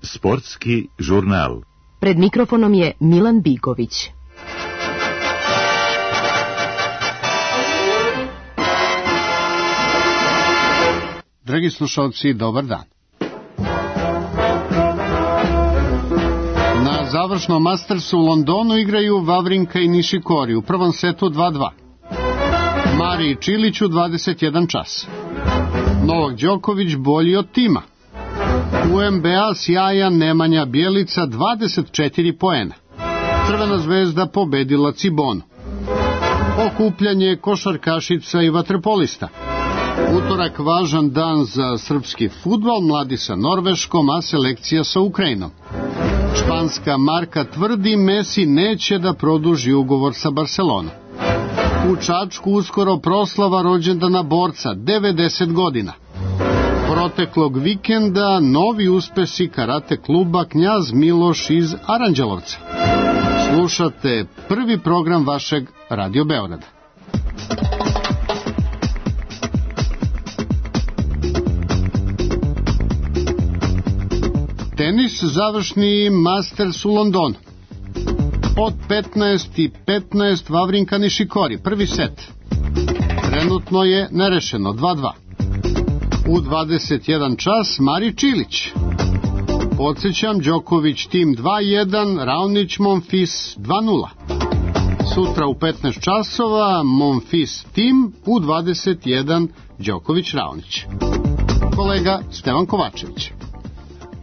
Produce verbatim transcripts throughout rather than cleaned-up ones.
Sportski žurnal. Pred mikrofonom je Milan Bigović. Dragi slušalci, dobar dan. Na završnom Mastersu u Londonu igraju Vavrinka i Nišikori u prvom setu dva dva. Mariji Čiliću dvadeset jedan čas. Novak Đoković bolji od tima. U N B A sjajan Nemanja Bjelica dvadeset četiri poena. Crvena zvezda pobedila Cibonu. Okupljanje košarkašica i vaterpolista. Utorak važan dan za srpski fudbal, mladi sa Norveškom, a selekcija sa Ukrajinom. Španska marka tvrdi Messi neće da produži ugovor sa Barcelonom. U Čačku uskoro proslava rođendana borca, devedeset godina. Proteklog vikenda novi uspesi karate kluba Knjaz Miloš iz Aranđelovca. Slušate prvi program vašeg Radio Beograda. Tenis, završni Masters u Londonu. Od petnaest i petnaest Vavrinka Nišikori, prvi set. Trenutno je nerešeno, dva dva. U dvadeset jedan čas Mari Čilić. Podsjećam, Đoković tim dva jedan, Raonić Monfils dva nula. Sutra u petnaest časova Monfils tim, u dvadeset jedan Đoković Raonić. Kolega Stevan Kovačević.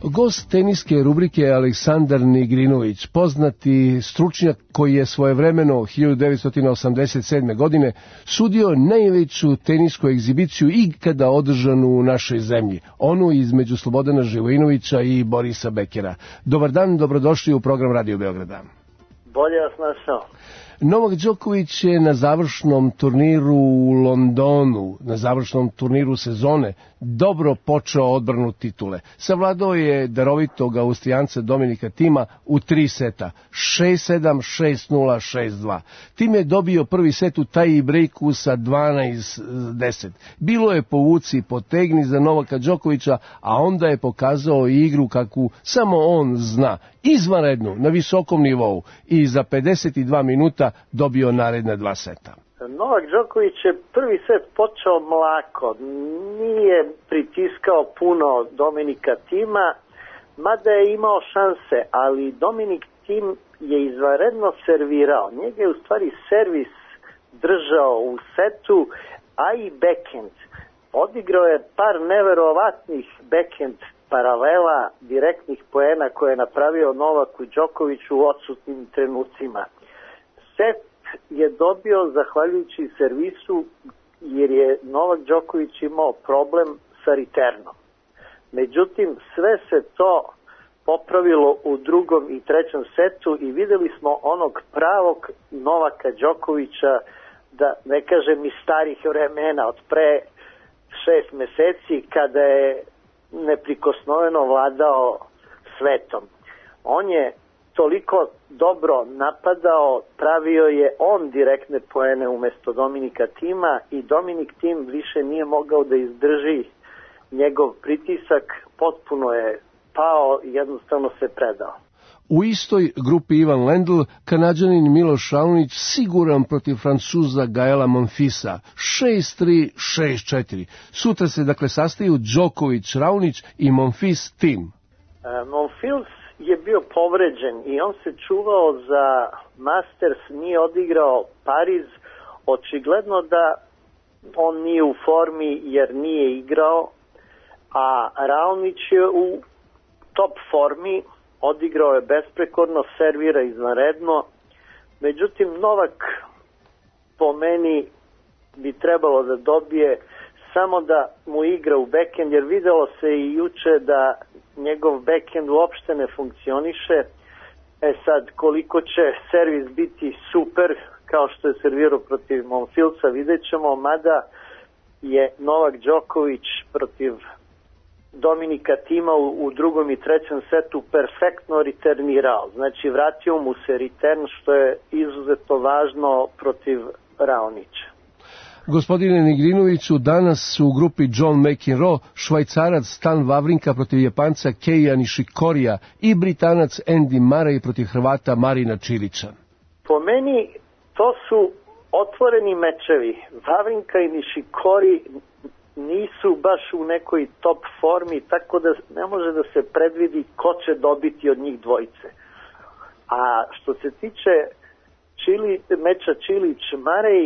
Gost teniske rubrike je Aleksandar Nigrinović, poznati stručnjak koji je svojevremeno hiljadu devetsto osamdeset sedme. godine sudio najveću tenisku egzibiciju ikada održanu u našoj zemlji, onu između Slobodana Živojinovića i Borisa Bekera. Dobar dan, dobrodošli u program Radio Beograda. Bolje vas našao. Novak Đoković je na završnom turniru u Londonu, na završnom turniru sezone, dobro počeo odbranu titule. Savladao je darovitog Austrijanca Dominika Tima u tri seta, šest sedam, šest nula, šest dva. Tim je dobio prvi set u taj breaku sa dvanaest deset. Bilo je povuci potegni za Novaka Đokovića, a onda je pokazao igru kakvu samo on zna, izvanrednu, na visokom nivou, i za pedeset dva minuta dobio naredna dva seta. Novak Đoković je prvi set počeo mlako, nije pritiskao puno Dominika Tima, mada je imao šanse, ali Dominik Tim je izvanredno servirao. Njega je u stvari servis držao u setu, a i backhand. Odigrao je par neverovatnih backhand paralela, direktnih poena koje je napravio Novaku Đokoviću u odsutnim trenucima. Set je dobio zahvaljujući servisu, jer je Novak Đoković imao problem sa returnom. Međutim, sve se to popravilo u drugom i trećem setu i videli smo onog pravog Novaka Đokovića, da ne kažem iz starih vremena, od pre šest meseci, kada je neprikosnoveno vladao svetom. On je toliko dobro napadao, pravio je on direktne poene umesto Dominika Tima i Dominik Tim više nije mogao da izdrži njegov pritisak, potpuno je pao i jednostavno se predao. U istoj grupi Ivan Lendl, Kanađanin Miloš Raonić siguran protiv Francuza Gaela Monfilsa, šest tri, šest četiri. Sutra se dakle sastaju Đoković Raonić i Monfils Tim. E, Monfils je bio povređen i on se čuvao za Masters, nije odigrao Pariz, očigledno da on nije u formi jer nije igrao, a Raonić je u top formi, odigrao je besprekorno, servira izvanredno. Međutim, Novak po meni bi trebalo da dobije samo da mu igra u backhand, jer videlo se i juče da njegov backhand uopšte ne funkcioniše. E sad, koliko će servis biti super, kao što je servirao protiv Monfilsa, vidjet ćemo, mada je Novak Đoković protiv Dominika Tima u, u drugom i trećem setu perfektno returnirao. Znači, vratio mu se return, što je izuzetno važno protiv Raonića. Gospodine Nigrinoviću, danas u grupi John McEnroe Švajcarac Stan Wawrinka protiv Japanca Keija Nishikorija i Britanac Andy Murray protiv Hrvata Marina Čilića. Po meni to su otvoreni mečevi. Wawrinka i Nishikori nisu baš u nekoj top formi, tako da ne može da se predvidi ko će dobiti od njih dvojice. A što se tiče Čili, meča Čilić-Marej,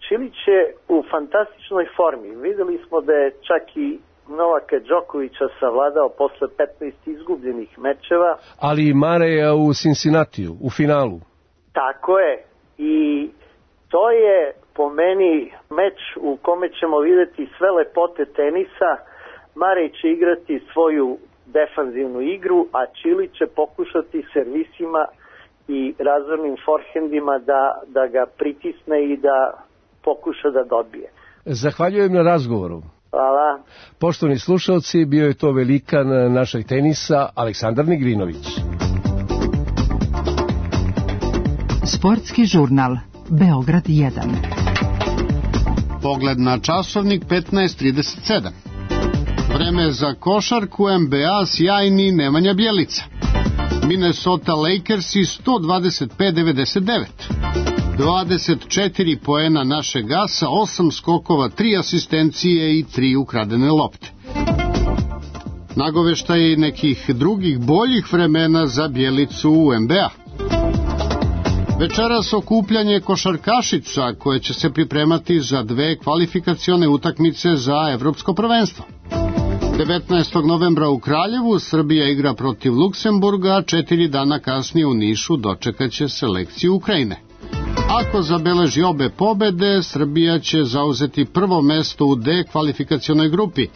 Čilić je u fantastičnoj formi. Videli smo da je čak i Novaka Đokovića savladao posle petnaest izgubljenih mečeva. Ali i Mareja u Cincinnatiju, u finalu. Tako je. I to je po meni meč u kome ćemo vidjeti sve lepote tenisa. Marej će igrati svoju defanzivnu igru, a Čilić će pokušati servisima i razvornim forhendima da, da ga pritisne i da pokuša da dobije. Zahvaljujem na razgovoru. Hvala. Poštovani slušalci, bio je to velikan našeg tenisa Aleksandar Nigrinović. Sportski žurnal Beograd jedan. Pogled na časovnik petnaest trideset sedam. Vreme za košarku N B A sjajni Nemanja Bjelica. Minnesota Lakersi sto dvadeset pet devedeset devet. dvadeset četiri poena našeg Gasa, osam skokova, tri asistencije i tri ukradene lopte. Nagoveštaj nekih drugih boljih vremena za Bjelicu u N B A. Večeras okupljanje košarkašica koje će se pripremati za dve kvalifikacione utakmice za evropsko prvenstvo. devetnaestog novembra u Kraljevu Srbija igra protiv Luksemburga, a četiri dana kasnije u Nišu dočekaće selekciju Ukrajine. Ako zabeleži obe pobede, Srbija će zauzeti prvo mesto u D kvalifikacionoj grupi,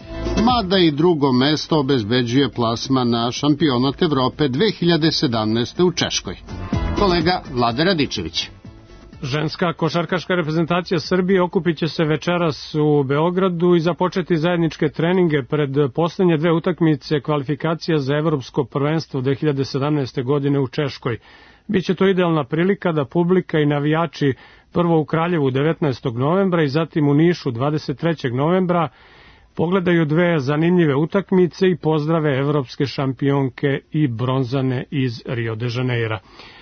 mada i drugo mesto obezbeđuje plasma na šampionat Evrope dve hiljade sedamnaeste. u Češkoj. Kolega Vlada Radičević. Ženska košarkaška reprezentacija Srbije okupit će se večeras u Beogradu i započeti zajedničke treninge pred poslednje dve utakmice kvalifikacija za evropsko prvenstvo dve hiljade sedamnaeste. godine u Češkoj. Biće to idealna prilika da publika i navijači prvo u Kraljevu devetnaestog novembra i zatim u Nišu dvadeset trećeg novembra pogledaju dve zanimljive utakmice i pozdrave evropske šampionke i bronzane iz Rio de Janeira.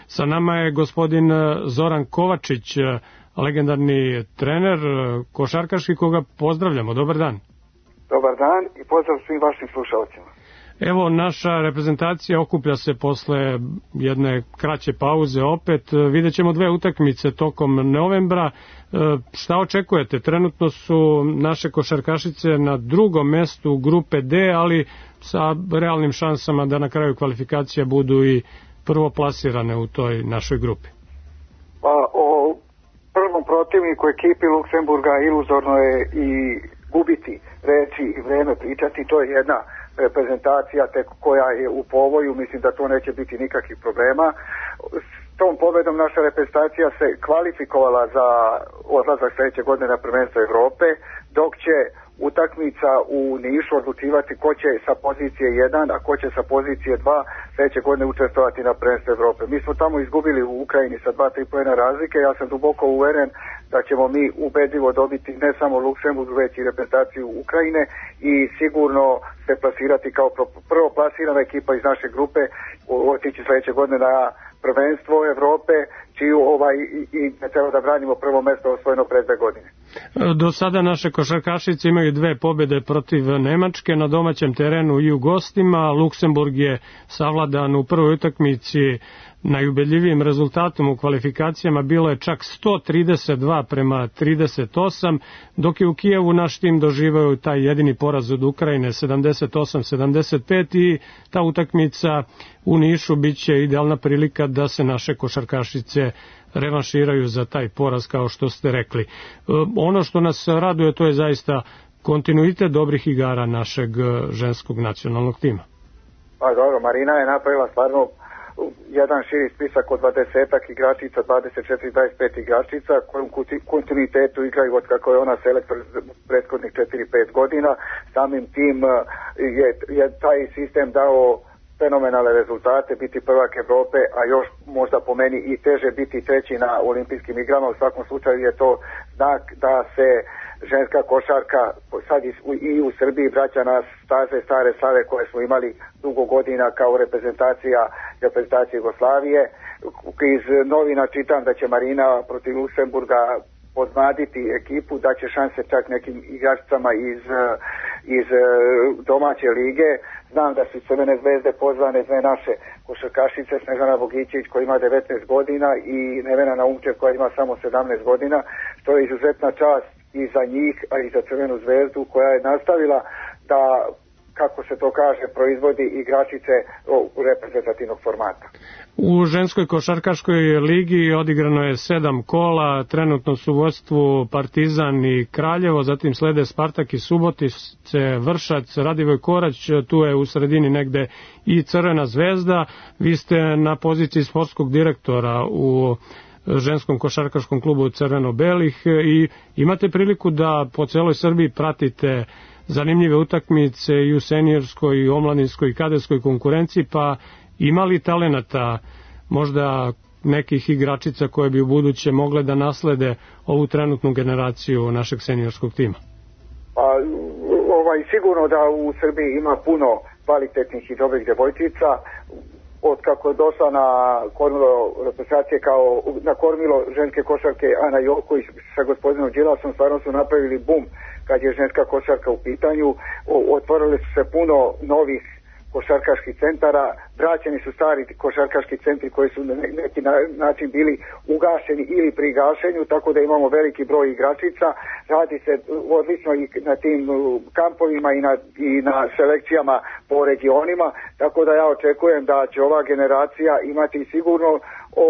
Sa nama je gospodin Zoran Kovačić, legendarni trener košarkaški, koga pozdravljamo. Dobar dan. Dobar dan i pozdrav svim vašim slušalcima. Evo, naša reprezentacija okuplja se posle jedne kraće pauze opet. Vidjet ćemo dve utakmice tokom novembra. Šta očekujete? Trenutno su naše košarkašice na drugom mestu grupe D, ali sa realnim šansama da na kraju kvalifikacija budu i prvo plasirane u toj našoj grupi. Pa o prvom protivniku ekipi Luksemburga iluzorno je i gubiti reći i vreme pričati. To je jedna reprezentacija tek koja je u povoju, mislim da to neće biti nikakvih problema. S tom pobedom naša reprezentacija se kvalifikovala za odlazak sledeće godine na prvenstvo Evrope, dok će utakmica u Nišu odlučivati ko će sa pozicije jedan, a ko će sa pozicije dva sledeće godine učestvovati na prvenstvu Evrope. Mi smo tamo izgubili u Ukrajini sa dva tri poena razlike, ja sam duboko uveren da ćemo mi ubedljivo dobiti ne samo Luksemburg, već i reprezentaciju Ukrajine i sigurno se plasirati kao prvo plasirana ekipa iz naše grupe, otići sledeće godine na prvenstvo Evrope, čiju ovaj i ne treba da branimo prvo mesto osvojeno pre dve godine. Do sada naše košarkašice imaju dve pobede protiv Nemačke na domaćem terenu i u gostima. Luksemburg je savladan u prvoj utakmici najubedljivijim rezultatom u kvalifikacijama, bilo je čak sto trideset dva prema trideset osam, dok je u Kijevu naš tim doživao taj jedini poraz od Ukrajine sedamdeset osam sedamdeset pet i ta utakmica u Nišu biće idealna prilika da se naše košarkašice revanširaju za taj poraz, kao što ste rekli. Ono što nas raduje, to je zaista kontinuitet dobrih igara našeg ženskog nacionalnog tima. Pa dobro, Marina je napravila stvarno jedan širi spisak od dvadesetak igračica, dvadeset četiri dvadeset pet igračica koji u kontinuitetu igraju od kako je ona selektor prethodnih četiri pet godina. Samim tim je, je taj sistem dao fenomenalne rezultate, biti prvak Evrope, a još možda po meni i teže biti treći na olimpijskim igrama. U svakom slučaju je to znak da se ženska košarka sad i u Srbiji vraća na staze stare slave koje smo imali dugo godina kao reprezentacija, reprezentacija Jugoslavije. Iz novina čitam da će Marina protiv Luksemburga podmladiti ekipu, da će šanse čak nekim igračicama iz, iz domaće lige. Znam da su Crvene zvezde pozvane dve naše košarkašice, Snežana Bogićević koja ima devetnaest godina i Nevena Naumčev koja ima samo sedamnaest godina, što je izuzetna čast i za njih, a i za Crvenu zvezdu koja je nastavila da, kako se to kaže, proizvodi igračice reprezentativnog formata. U ženskoj košarkaškoj ligi odigrano je sedam kola, trenutno su u vodstvu Partizan i Kraljevo, zatim slede Spartak i Subotice, Vršac, Radivoj Korać, tu je u sredini negde i Crvena zvezda. Vi ste na poziciji sportskog direktora u ženskom košarkaškom klubu Crveno-belih i imate priliku da po celoj Srbiji pratite zanimljive utakmice i u seniorskoj, i omladinskoj i kadetskoj konkurenciji, pa ima li talenata, možda nekih igračica koje bi u buduće mogle da naslede ovu trenutnu generaciju našeg seniorskog tima? Pa, ovaj, sigurno da u Srbiji ima puno kvalitetnih i dobrih devojčica. Od kako je došla na kormilo reprezentacije kao na kormilo ženske košarke Ana Joković sa gospodinom Đilasom, stvarno su napravili bum kad je ženska košarka u pitanju. Otvorili su se puno novih košarkaških centara, vraćeni su stari košarkaški centri koji su na neki način bili ugašeni ili pri gašenju, tako da imamo veliki broj igračica. Radi se odlično i na tim kampovima i na, i na selekcijama po regionima, tako da ja očekujem da će ova generacija imati sigurno o,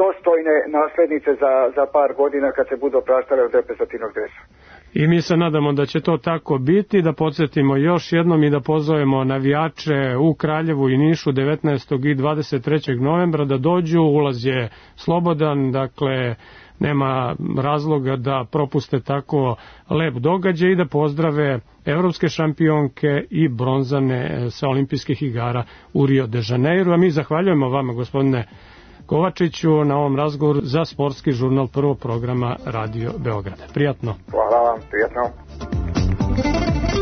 dostojne naslednice za, za par godina kad se budu opraštale od reprezentativnog dresa. I mi se nadamo da će to tako biti, da podsjetimo još jednom i da pozovemo navijače u Kraljevu i Nišu devetnaestog i dvadeset trećeg novembra da dođu, ulaz je slobodan, dakle nema razloga da propuste tako lep događaj i da pozdrave evropske šampionke i bronzane sa olimpijskih igara u Rio de Janeiro. A mi zahvaljujemo vama, gospodine Kovačiću, na ovom razgovoru za sportski žurnal prvog programa Radio Beograda. Prijatno. Hvala vam, prijatno.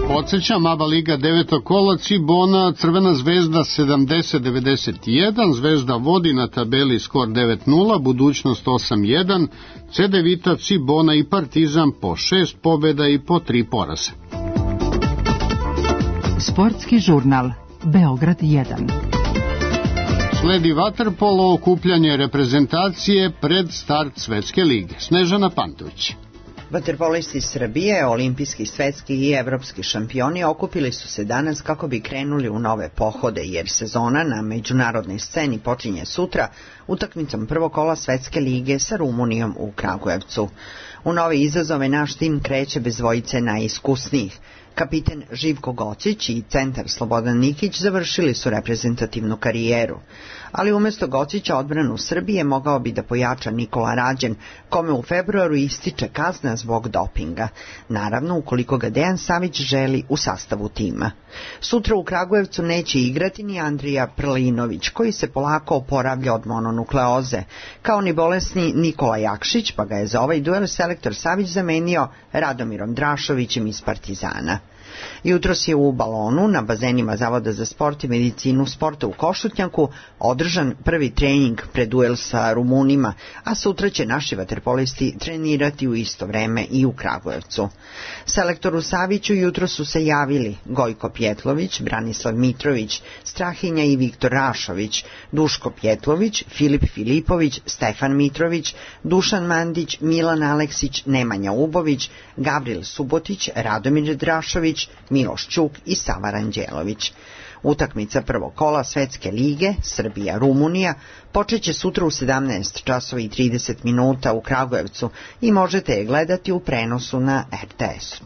Podsećam, ABA Liga deveto kola, Cibona, Crvena zvezda sedamdeset devedeset jedan, Zvezda vodi na tabeli skor devet nula, Budućnost osam jedan, C D Vita, Cibona i Partizan po šest pobjeda i po tri poraza. Sportski žurnal Beograd jedan. Sledi vaterpolo, okupljanje reprezentacije pred start Svetske lige. Snežana Pantović. Vaterpolisti Srbije, olimpijski, svetski i evropski šampioni okupili su se danas kako bi krenuli u nove pohode, jer sezona na međunarodnoj sceni počinje sutra utakmicom prvog kola Svetske lige sa Rumunijom u Kragujevcu. U nove izazove naš tim kreće bez dvojice najiskusnijih. Kapiten Živko Gocić i centar Slobodan Nikić završili su reprezentativnu karijeru, ali umjesto Gocića odbranu Srbije mogao bi da pojača Nikola Rađen, kome u februaru ističe kazna zbog dopinga, naravno ukoliko ga Dejan Savić želi u sastavu tima. Sutra u Kragujevcu neće igrati ni Andrija Prlinović, koji se polako oporavlja od mononukleoze, kao ni bolesni Nikola Jakšić, pa ga je za ovaj duel selektor Savić zamenio Radomirom Drašovićem iz Partizana. Jutros je u Balonu, na bazenima Zavoda za sport i medicinu sporta u Košutnjaku, održan prvi trening pred duel sa Rumunima, a sutra će naši vaterpolisti trenirati u isto vreme i u Kragujevcu. Selektoru Saviću jutro su se javili Gojko Pjetlović, Branislav Mitrović, Strahinja i Viktor Rašović, Duško Pjetlović, Filip Filipović, Stefan Mitrović, Dušan Mandić, Milan Aleksić, Nemanja Ubović, Gavril Subotić, Radomir Drašović, Miloš Ćuk i Sava Ranđelović. Utakmica prvog kola Svetske lige Srbija-Rumunija počeće sutra u sedamnaest časova i trideset minuta u Kragujevcu i možete je gledati u prenosu na R T S-u.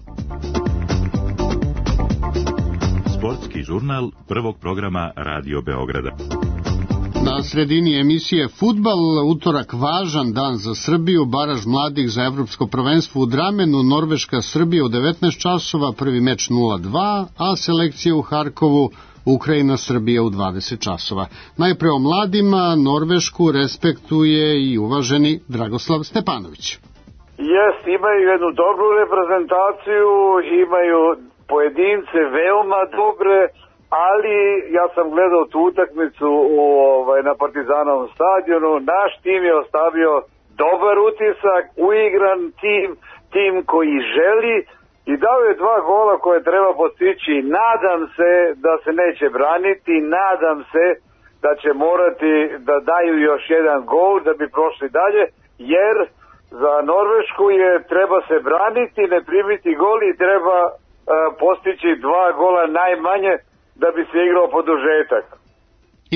Sportski žurnal prvog programa Radio Beograda. Na sredini emisije Fudbal, utorak važan dan za Srbiju, baraž mladih za evropsko prvenstvo u Dramenu, Norveška Srbija u devetnaest časova, prvi meč nula dva, a selekcija u Harkovu Ukrajina Srbija u dvadeset časova. Najpre o mladima, Norvešku respektuje i uvaženi Dragoslav Stepanović. Jest, imaju jednu dobru reprezentaciju, imaju pojedince veoma dobre, ali ja sam gledao tu utakmicu u, ovaj, na Partizanovom stadionu. Naš tim je ostavio dobar utisak, uigran tim, tim koji želi i dao je dva gola koje treba postići. Nadam se da se neće braniti, nadam se da će morati da daju još jedan gol da bi prošli dalje, jer za Norvešku je treba se braniti, ne primiti gol i treba uh, postići dva gola najmanje da bi se igrao produžetak.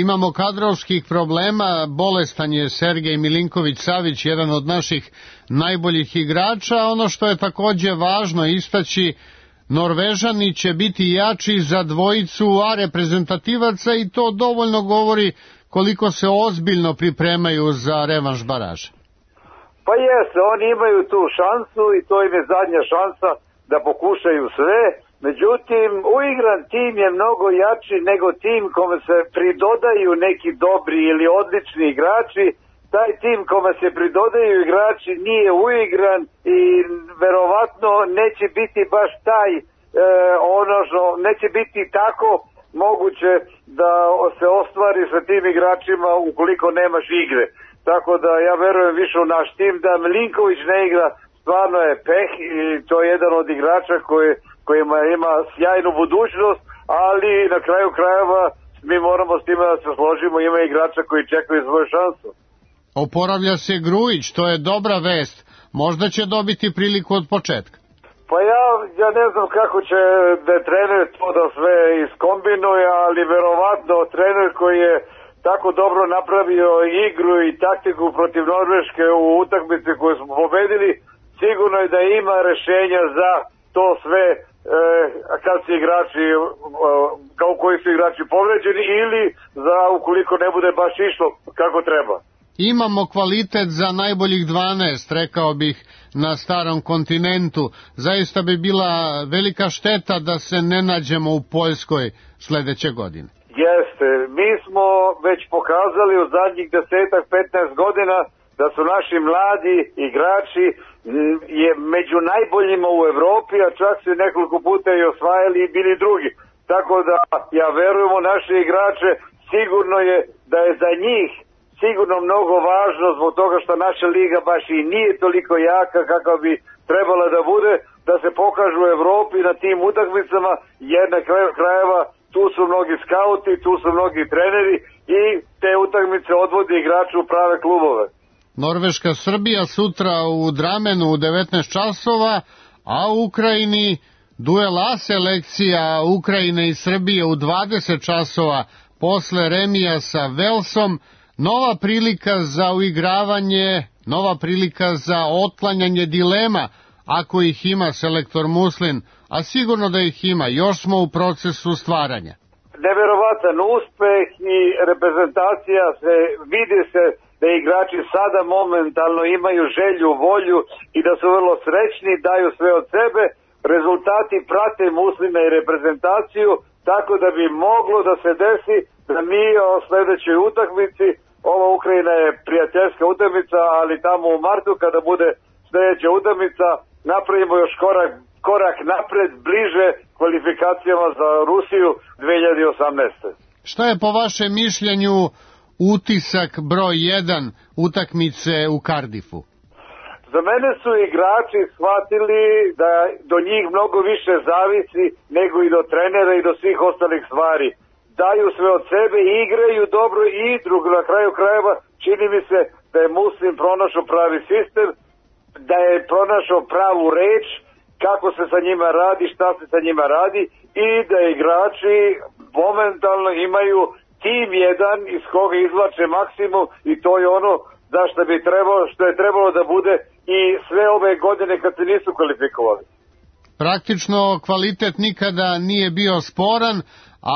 Imamo kadrovskih problema, bolestan je Sergej Milinković-Savić, jedan od naših najboljih igrača. Ono što je takođe važno istaći, Norvežani će biti jači za dvojicu A reprezentativaca i to dovoljno govori koliko se ozbiljno pripremaju za revanš baraža. Pa jeste, oni imaju tu šansu i to im je zadnja šansa da pokušaju sve. Međutim, uigran tim je mnogo jači nego tim kome se pridodaju neki dobri ili odlični igrači. Taj tim kome se pridodaju igrači nije uigran i verovatno neće biti baš taj, e, ono što neće biti tako moguće da se ostvari sa tim igračima ukoliko nemaš igre. Tako da ja verujem više u naš tim, da Milinković ne igra, stvarno je peh i to je jedan od igrača koji kojima ima sjajnu budućnost, ali na kraju krajeva mi moramo s time da se složimo, ima igrača koji čekaju svoju šansu. Oporavlja se Grujić, to je dobra vest, možda će dobiti priliku od početka. Pa ja, ja ne znam kako će da trener to da sve iskombinuje, ali verovatno trener koji je tako dobro napravio igru i taktiku protiv Norveške u utakmici koju smo pobedili, sigurno je da ima rešenja za to sve e, kad su igrači, e, kao koji su igrači povređeni ili za ukoliko ne bude baš išlo kako treba. Imamo kvalitet za najboljih dvanaest, rekao bih, na starom kontinentu. Zaista bi bila velika šteta da se ne nađemo u Poljskoj sledeće godine. Jeste, mi smo već pokazali u zadnjih desetak, petnaest godina da su naši mladi igrači je među najboljima u Evropi, a čak su nekoliko puta i osvajali i bili drugi. Tako da ja verujem u naše igrače, sigurno je da je za njih sigurno mnogo važno zbog toga što naša liga baš i nije toliko jaka kakva bi trebala da bude, da se pokažu u Evropi na tim utakmicama, jer na kraju krajeva tu su mnogi skauti, tu su mnogi treneri i te utakmice odvode igrače u prave klubove. Norveška Srbija sutra u Dramenu u devetnaest časova, a u Ukrajini duel A selekcija Ukrajine i Srbije u dvadeset časova posle remija sa Velsom. Nova prilika za uigravanje, nova prilika za otklanjanje dilema, ako ih ima selektor Muslin, a sigurno da ih ima, još smo u procesu stvaranja. Neverovatan uspeh i reprezentacija se vidi se da igrači sada momentalno imaju želju, volju i da su vrlo srećni, daju sve od sebe. Rezultati prate Muslina i reprezentaciju, tako da bi moglo da se desi da mi o sledećoj utakmici, ova Ukrajina je prijateljska utakmica, ali tamo u martu kada bude sledeća utakmica napravimo još korak, korak napred, bliže kvalifikacijama za Rusiju dve hiljade osamnaeste. Šta je po vašem mišljenju utisak broj jedan utakmice u Cardiffu? Za mene su igrači shvatili da do njih mnogo više zavisi nego i do trenera i do svih ostalih stvari. Daju sve od sebe, igraju dobro i drugo, na kraju krajeva čini mi se da je Muslin pronašao pravi sistem, da je pronašao pravu reč, kako se sa njima radi, šta se sa njima radi i da igrači momentalno imaju tim jedan iz koga izvlače maksimum i to je ono za što bi trebalo, što je trebalo da bude i sve ove godine kad se nisu kvalifikovali. Praktično kvalitet nikada nije bio sporan,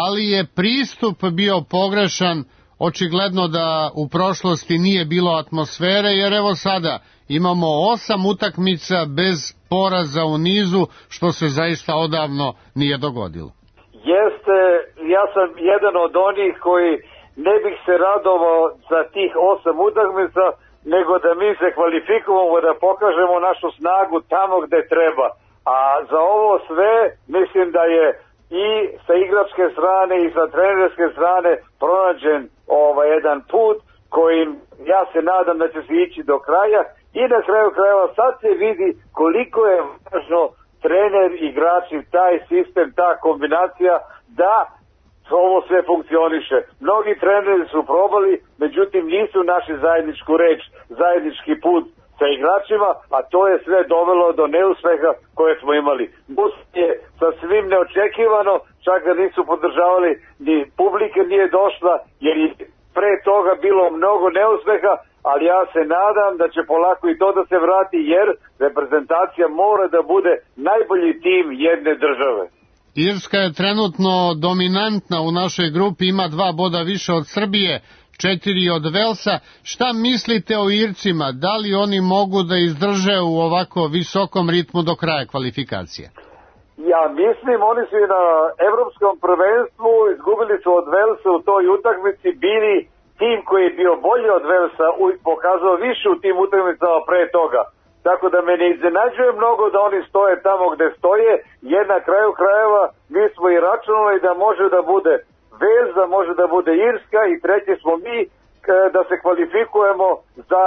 ali je pristup bio pogrešan, očigledno da u prošlosti nije bilo atmosfere, jer evo sada imamo osam utakmica bez poraza u nizu, što se zaista odavno nije dogodilo. Jeste, ja sam jedan od onih koji ne bih se radovao za tih osam utakmica, nego da mi se kvalifikujemo, da pokažemo našu snagu tamo gde treba. A za ovo sve mislim da je i sa igračke strane i sa trenerske strane pronađen ovaj jedan put kojim ja se nadam da će se ići do kraja i na kraju krajeva sad se vidi koliko je važno trener, igrači, taj sistem, ta kombinacija da ovo sve funkcioniše. Mnogi treneri su probali, međutim nisu našli zajedničku reč, zajednički put sa igračima, a to je sve dovelo do neuspeha koje smo imali. Bus je sasvim neočekivano, čak ga nisu podržavali, ni publika nije došla, jer je pre toga bilo mnogo neuspeha, ali ja se nadam da će polako i to da se vrati, jer reprezentacija mora da bude najbolji tim jedne države. Irska je trenutno dominantna u našoj grupi, ima dva boda više od Srbije, četiri od Velsa. Šta mislite o Ircima? Da li oni mogu da izdrže u ovako visokom ritmu do kraja kvalifikacije? Ja mislim, oni su i na evropskom prvenstvu izgubili su od Velsa u toj utakmici, bili tim koji je bio bolji od Velsa, pokazao više u tim utakmicama pre toga. Tako da me ne iznenađuje mnogo da oni stoje tamo gde stoje, jer na kraju krajeva mi smo i računali da može da bude Vels, da može da bude Irska i treći smo mi da se kvalifikujemo za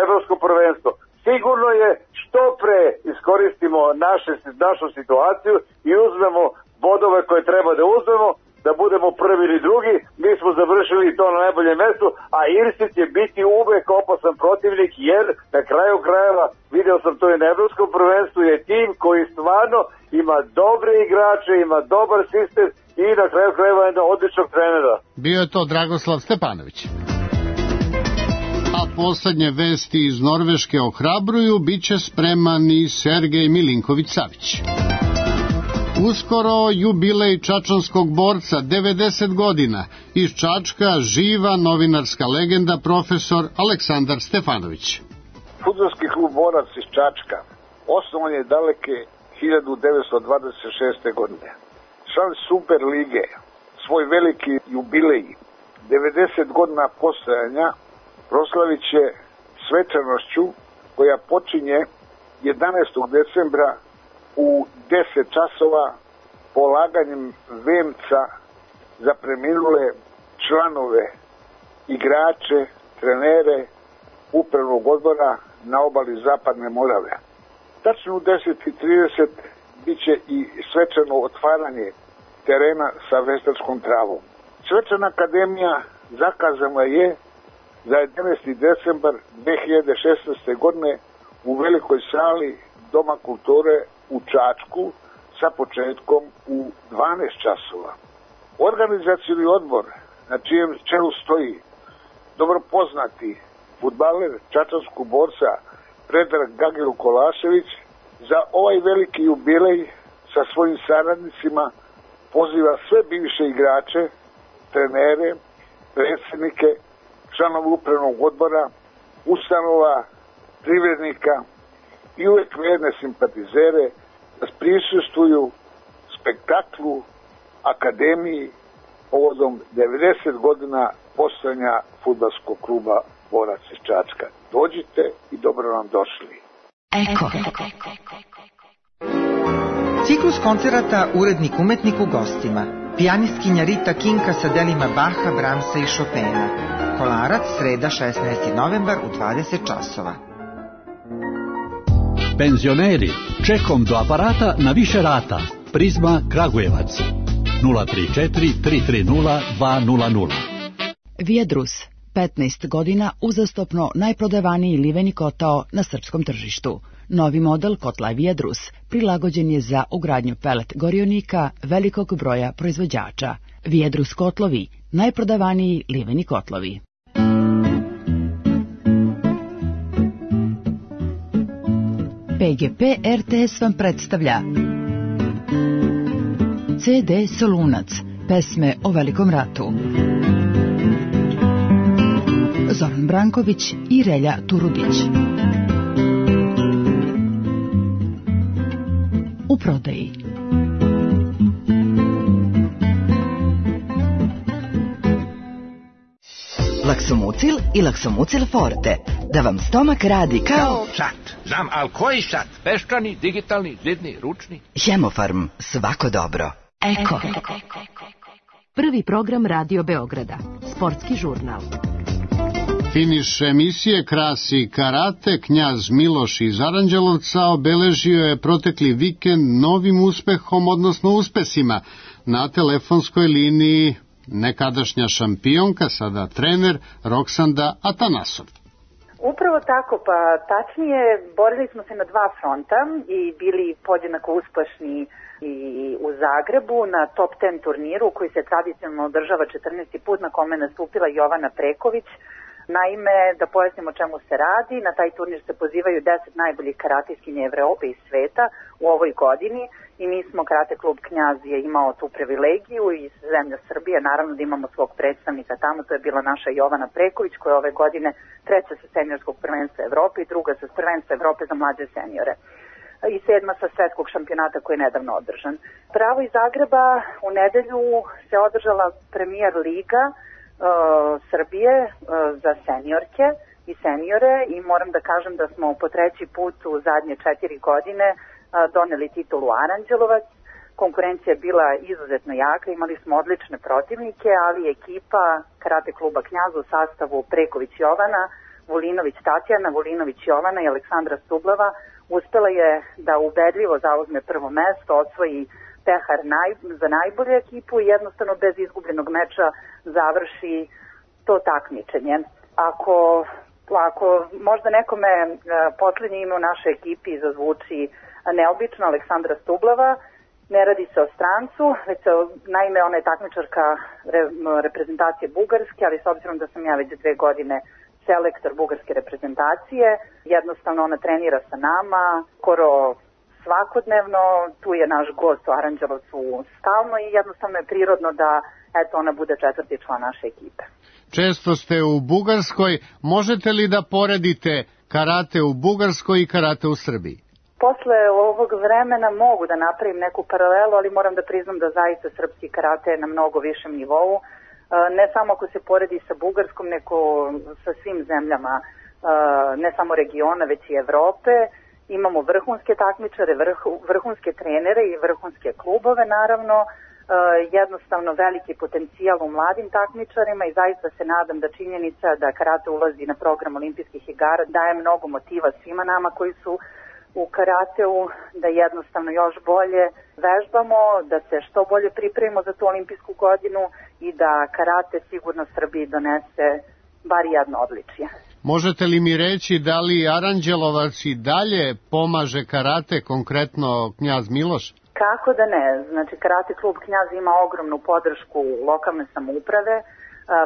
evropsko prvenstvo. Sigurno je što pre iskoristimo naše, našu situaciju i uzmemo bodove koje treba da uzmemo, da budemo prvi ili drugi, mi smo završili to na najboljem mestu, a Irci će biti uvek opasan protivnik, jer na kraju krajeva, video sam to i na evropskom prvenstvu, je tim koji stvarno ima dobre igrače, ima dobar sistem i na kraju krajeva jedna odličnog trenera. Bio je to Dragoslav Stepanović. A poslednje vesti iz Norveške ohrabruju, bit će spreman i Sergej Milinković-Savić. Uskoro jubilej čačanskog borca, devedeset godina. Iz Čačka živa novinarska legenda profesor Aleksandar Stefanović. Fudbalski klub Borac iz Čačka osnovan je daleke hiljadu devetsto dvadeset šeste. godine. Član Super lige, svoj veliki jubilej, devedeset godina postojanja, proslavit će svečanošću koja počinje jedanaestog decembra u deset časova polaganjem venca za preminule članove, igrače, trenere upravnog odbora na obali Zapadne Morave. Tačno u deset i trideset bit će i svečano otvaranje terena sa veštačkom travom. Svečana akademija zakazana je za jedanaesti decembar dve hiljade šesnaeste. godine u velikoj sali Doma kulture u Čačku sa početkom u dvanaest časova. Organizacioni odbor na čijem čelu stoji dobro poznati fudbaler čačanskog borca Predrag Gagiru Kolašević za ovaj veliki jubilej sa svojim saradnicima poziva sve bivše igrače, trenere, predsjednike, članove upravnog odbora, ustanova, privrednika i uvek verne simpatizere da prisustvuju spektaklu akademiji povodom devedeset godina postojanja fudbalskog kluba Borac iz Čačka. Dođite i dobro nam došli. Eko. Ciklus koncerata Urednik umetnik u gostima. Pijanistkinja Rita Kinka sa delima Baha, Bramsa i Chopina. Kolarac, sreda šesnaesti novembar u dvadeset časova. Penzioneri, čekom do aparata na više rata. Prizma Kragujevac. nula tri četiri tri tri nula dva nula nula. Vijedrus, petnaest godina uzastopno najprodavaniji liveni kotao na srpskom tržištu. Novi model kotla Vijedrus prilagođen je za ugradnju pelet gorionika velikog broja proizvođača. Vijedrus kotlovi, najprodavaniji liveni kotlovi. P G P R T S vam predstavlja C D Solunac, pesme o Velikom ratu. Zoran Branković i Relja Turudić. U prodaji. Laksomucil i Laksomucil Forte. Da vam stomak radi kao... Sat. Znam, ali koji sat? Peščani, digitalni, zidni, ručni? Hemofarm. Svako dobro. Eko. Prvi program Radio Beograda. Sportski žurnal. Finiš emisije krasi karate. Knjaz Miloš iz Aranđelovca obeležio je protekli vikend novim uspehom, odnosno uspesima. Na telefonskoj liniji nekadašnja šampionka, sada trener Roksanda Atanasov. Upravo tako, pa tačnije borili smo se na dva fronta i bili podjednako uspešni i u Zagrebu na top deset turniru koji se tradicionalno održava četrnaesti put, na kome nastupila Jovana Preković. Naime, da pojasnimo čemu se radi, na taj turnir se pozivaju deset najboljih karateskinja Evrope i sveta u ovoj godini i mi smo, Karate klub Knjaz je imao tu privilegiju i zemlja Srbije, naravno da imamo svog predstavnika tamo, to je bila naša Jovana Preković koja je ove godine treća sa seniorskog prvenstva Evrope i druga sa prvenstva Evrope za mlađe seniore i sedma sa svetskog šampionata koji je nedavno održan. Pravo iz Zagreba u nedelju se održala premijer liga Uh, Srbije uh, za seniorke i seniore i moram da kažem da smo po treći put u zadnje četiri godine uh, doneli titulu Aranđelovac. Konkurencija je bila izuzetno jaka, imali smo odlične protivnike, ali ekipa Karate kluba Knjaz u sastavu Preković Jovana, Vulinović Tatjana, Vulinović Jovana i Aleksandra Stublava uspela je da ubedljivo zauzme prvo mesto, osvoji pehar naj, za najbolju ekipu i jednostavno bez izgubljenog meča završi to takmičenje. Ako, ako možda nekome e, poslednje ime u našoj ekipi zazvuči neobično, Aleksandra Stublava, ne radi se o strancu, već se, naime ona je takmičarka re, reprezentacije Bugarske, ali s obzirom da sam ja već dve godine selektor bugarske reprezentacije, jednostavno ona trenira sa nama, skoro svakodnevno, tu je naš gost u Aranđelovcu stalno i jednostavno je prirodno da eto ona bude četvrti član naše ekipe. Često ste u Bugarskoj, možete li da poredite karate u Bugarskoj i karate u Srbiji? Posle ovog vremena mogu da napravim neku paralelu, ali moram da priznam da zaista srpski karate je na mnogo višem nivou, ne samo ako se poredi sa Bugarskom, nego sa svim zemljama, ne samo regiona, već i Evrope. Imamo vrhunske takmičare, vrh, vrhunske trenere i vrhunske klubove, naravno, e, jednostavno veliki potencijal u mladim takmičarima i zaista se nadam da činjenica da karate ulazi na program olimpijskih igara daje mnogo motiva svima nama koji su u karateu, da jednostavno još bolje vežbamo, da se što bolje pripremimo za tu olimpijsku godinu i da karate sigurno Srbiji donese bar jedno odličje. Možete li mi reći da li Aranđelovac i dalje pomaže karate, konkretno Knjaz Miloš? Kako da ne, znači Karate klub Knjaz ima ogromnu podršku lokalne samouprave,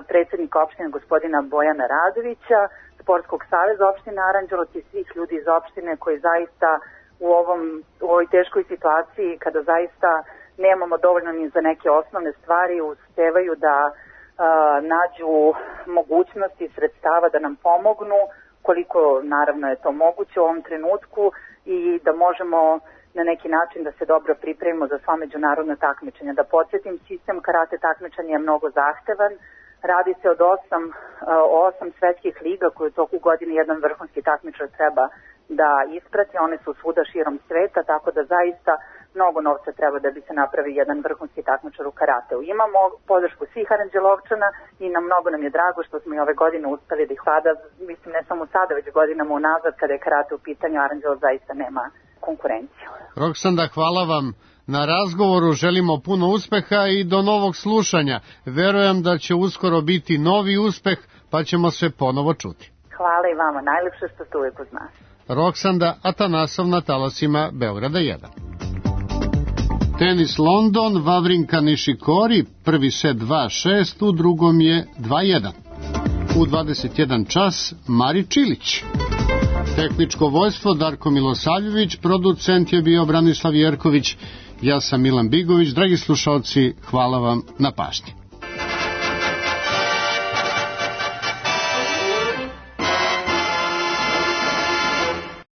predsjednika opštine gospodina Bojana Radovića, Sportskog saveza opštine Aranđelovac i svih ljudi iz opštine koji zaista u, ovom, u ovoj teškoj situaciji kada zaista nemamo dovoljno ni za neke osnovne stvari uspevaju da nađu mogućnosti i sredstava da nam pomognu koliko naravno je to moguće u ovom trenutku i da možemo na neki način da se dobro pripremimo za sva međunarodna takmičenja. Da podsjetim, sistem karate takmičenja je mnogo zahtevan, radi se od osam, osam svetskih liga koje u toku godine jedan vrhunski takmičar treba da isprati, one su svuda širom sveta, tako da zaista mnogo novca treba da bi se napravi jedan vrhunski takmičar u karateu. Imamo podršku svih Aranđelovčana i na mnogo nam je drago što smo i ove godine uspeli da ih vlada, mislim ne samo sada, već godinama unazad kada je karate u pitanju, Aranđelov zaista nema konkurenciju. Roksanda, hvala vam na razgovoru, želimo puno uspeha i do novog slušanja. Verujem da će uskoro biti novi uspeh, pa ćemo se ponovo čuti. Hvala i vama, najlepše što ste uvijek uz nas. Roksanda Atanasov na talasima Beograda jedan. Tenis London, Vavrinka Nišikori, prvi set dva šest, u drugom je dva jedan. U dvadeset jedan čas Mari Čilić. Tehničko vojstvo Darko Milosavljević, producent je bio Branislav Jerković, ja sam Milan Bigović. Dragi slušalci, hvala vam na pažnji.